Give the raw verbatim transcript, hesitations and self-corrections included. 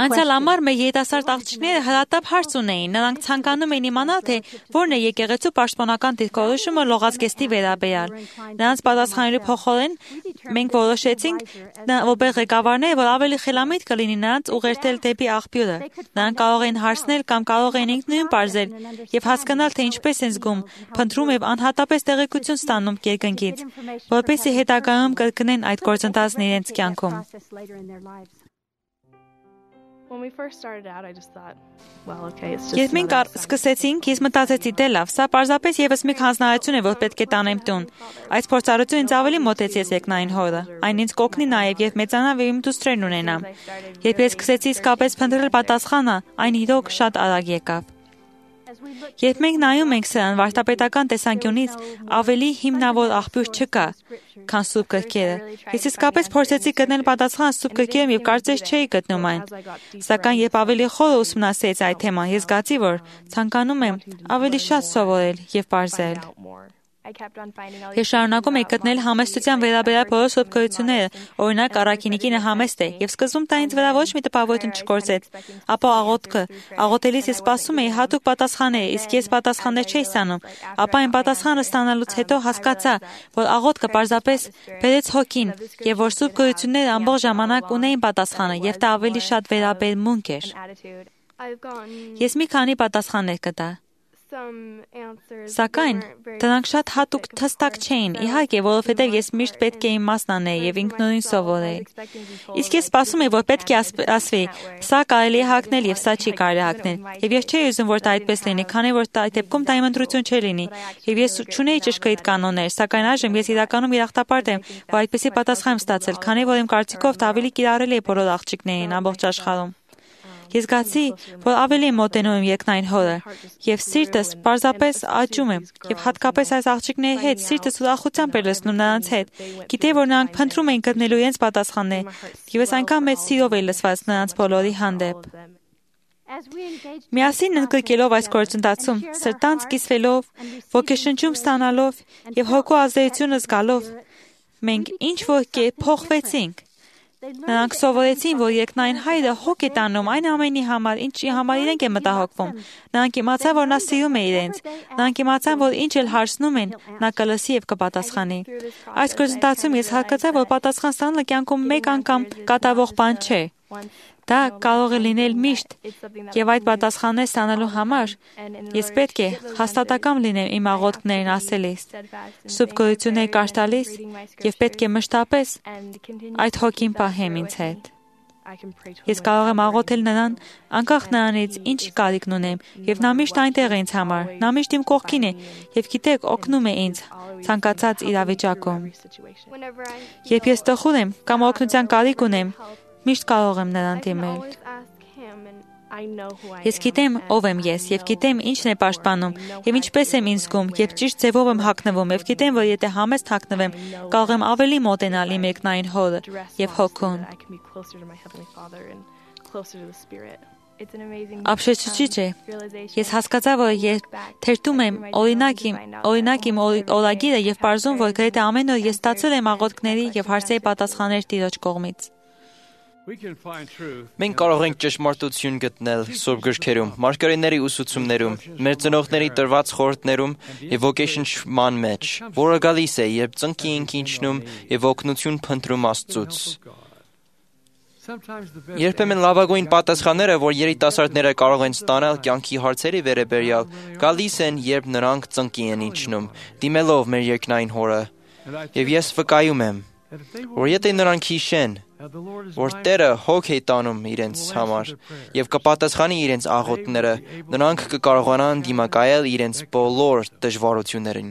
Անցյալ ամառ մեր երիտասարդ աղջիկները հրատապ հարց ունեին, նրանք ցանկանում էին իմանալ, թե որն է եկեղեցու պաշտպանական դիրքորոշումը լողացկեստի վերաբերյալ։ Նրանց պատասխանելու փոխարեն մենք որոշեցինք, որպես ղեկավարներ, որ ավելի խելամիտ կլինի նրանց ուղղորդել դեպի աղբյուրը։ Նրանք կարող էին հարցնել կամ կարող էին ինքնուրույն պարզել եւ հասկանալ, թե ինչպես են զգում, փնտրում եւ անհատապես տեղեկություն ստանում երկնքից, որպեսզի հետագայում կրկնեն այդ գործընթացն իրենց կյանքում։ Երբ մենք սկսեցինք, ես մտածեցի, դե լավ, սա պարզապես եւս մի հանձնարարություն է, որ պետք է տանեմ տուն։ Այս փորձառությունը ինձ ավելի մոտեցեց երկնային հորը։ Այն ինձ կօգնի նաեւ, երբ մեծանամ եւ իմ դուստրերն ունենամ։ Երբ ես սկսեցի իսկապես փնտրել պատասխանը, այն իրոք շատ արագ եկավ։ Երբ մենք նայում ենք սրան վարդապետական տեսանկյունից, ավելի հիմնավոր աղբյուր չկա, քան Սուրբ գրքերը։ Ես իսկապես փորձեցի գտնել պատասխանը Սուրբ գրքերում եւ կարծես չէի գտնում այն։ Սակայն երբ ավելի խոր ուսումնասիրեցի այդ թեման, ես զգացի, որ ցանկանում եմ ավելի շատ սովորել եւ պարզել։ Ես շարունակում էի գտնել համեստության վերաբերյալ բոլոր սուրբ գրությունները, օրինակ առաքինի կինը համեստ է, եւ սկզբում դա ինձ վրա ոչ մի տպավորություն չգործեց, ապա աղոթքը, աղոթելիս ես սպասում էի հատուկ պատասխաններ, իսկ ես պատասխաններ չէի ստանում, ապա այն պատասխանը ստանալուց հետո հասկացա, որ աղոթքը պարզապես բերեց հոգին, եւ որ սուրբ գրությունները ամբողջ ժամանակ ունեին պատասխանը, եւ դա ավելի շատ վերաբերմունք էր։ Ես մի քանի պատասխաններ գտա։ Սակայն դրանք շատ հատուկ թստակ չէին, իհարկե, որովհետև ես միշտ պետք է իմ մասն անեի եւ ինքնուրույն սովորեի։ Իսկ ես սպասում էի, որ պետք է ասվի, սա կարելի է հագնել եւ սա չի կարելի հագնել։ Եվ ես չէի ուզում, որ դա այդպես լինի, քանի որ այդ դեպքում դա իմ ընտրություն չէր լինի։ Եվ ես չունեի ճշգրիտ կանոններ, սակայն այժմ ես իրականում երախտապարտ եմ, որ այդպեսի պատասխան եմ ստացել, քանի որ իմ կարծիքով դա ավելի կիրառելի է բոլոր աղջիկներին ամբողջ աշխարհում։ Ես զգացի, որ ավելի եմ մոտենում եմ երկնային հորը, եւ սիրտս պարզապես աճում է, եւ հատկապես այս աղջիկների հետ սիրտս ուրախությամբ էր լսնում նրանց հետ։ Գիտեի, որ նրանք փնտրում էին գտնելու իրենց պատասխաններ, եւ ես այնքան մեծ սիրով էի լսված նրանց բոլորի հանդեպ։ Միասին ընդգրկելով այս գործընթացում, սրտանց կիսվելով, ոգեշնչում ստանալով եւ հոգու ազդեցությունը զգալով, մենք ինչ որ կերպ փոխվեցինք։ Նրանք սովորեցին, որ երկնային Հայրը հոգ է տանում այն ամենի համար, ինչի համար իրենք են մտահոգվում։ Նրանք իմացան, որ նա սիրում է իրենց։ Նրանք իմացան, որ ինչ էլ հարցնում են, նա կլսի եւ կպատասխանի։ Այս գործընթացում ես հասկացա, որ պատասխան ստանալը կյանքում մեկ անգամ կատարվող բան չէ։ Դա կարող է լինել միշտ, եւ այդ պատասխաններ ստանալու համար ես պետք է հաստատակամ լինեմ իմ աղոթքներին ասելիս, սուրբ գրություններ կարդալիս եւ պետք է մշտապես այդ հոգին պահեմ ինձ հետ։ Ես կարող եմ աղոթել նրան, անկախ նրանից ինչ կարիքն ունեմ, եւ նա միշտ այնտեղ է ինձ համար, նա միշտ իմ կողքին է եւ գիտեք, օգնում է ինձ ցանկացած իրավիճակում։ Երբ ես տխուր եմ կամ օգնության կարիք ունեմ, միշտ կարող եմ նրան դիմել։ Ես գիտեմ ով եմ ես եւ գիտեմ ինչն է պաշտպանում եւ ինչպես եմ ինձ զգում եւ ճիշտ ձևով եմ հագնվում եւ գիտեմ որ եթե համեստ հագնվեմ կարող եմ ավելի մոտենալ իմ երկնային հորը եւ հոգուն։ Ապշեցուցիչ է։ Ես հասկացա, որ երբ թերթում եմ օրինակ իմ օրինակ իմ օրագիրը եւ պարզում, որ գրեթե ամեն օր ես ստացել եմ աղոթքների եւ հարցերի պատասխաններ Տիրոջ կողմից։ Մենք կարող ենք ճշմարտություն գտնել Սուրբ գրքերում, մարգարեների ուսուցումներում, մեր ծնողների տրված խորհուրդներում եւ ոգեշնչման մեջ, որը գալիս է, երբ ծնկի ենք իջնում եւ օգնություն փնտրում Աստծուց։ Երբեմն լավագույն պատասխանները, որ երիտասարդները կարող են ստանալ կյանքի հարցերի վերաբերյալ, գալիս են, երբ նրանք ծնկի են իջնում, դիմելով մեր երկնային Հորը։ Եվ ես վկայում եմ, որ եթե նրանք հիշեն, որ Տերը հոգ է տանում իրենց համար եւ կպատասխանի իրենց աղոթքները, նրանք կկարողանան դիմակայել իրենց բոլոր դժվարություններին։